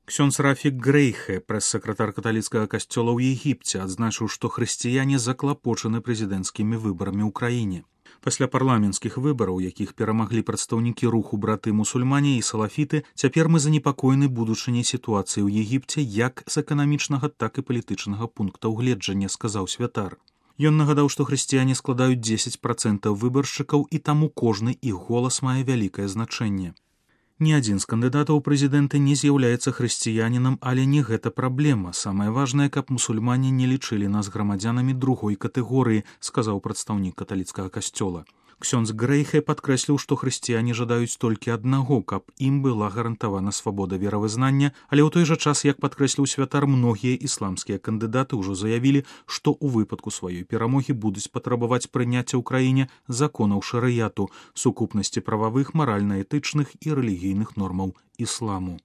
Ксёндз Рафік Грейхе, прэс-сакратар каталіцкага касцёла ў Егіпце, адзначыў, што хрысціяне заклапочаны прэзідэнцкімі выбарамі ў краіне. Пасля парламенцкіх выбараў, якіх перамаглі прадстаўнікі руху браты-мусульмане і салафіты, цяпер мы занепакоены будучыняй сітуацыі ў Егіпце як з эканамічнага, так і палітычнага пункта ўгледжання, сказаў святар. Ён нагадаў, што хрысціяне складаюць 10% выбаршчыкаў, і таму кожны іх голас мае вялікае значэнне. Ні адзін з кандыдатаў у прэзідэнты не з'яўляецца хрысціянінам, але не гэта праблема. Самае важнае, каб мусульмане не лічылі нас грамадзянамі другой катэгорыі, сказаў прадстаўнік каталіцкага касцёла. Ксёндз Грейхе падкрэсліў, што хрысціяне жадаюць толькі аднаго, каб ім была гарантавана свабода веравызнання, але ў той жа час, як падкрэсліў святар, многія ісламскія кандыдаты ўжо заявілі, што ў выпадку сваёй перамогі будуць патрабаваць прыняцця ў краіне законаў шарыяту, сукупнасці прававых, маральна-этычных і рэлігійных нормаў ісламу.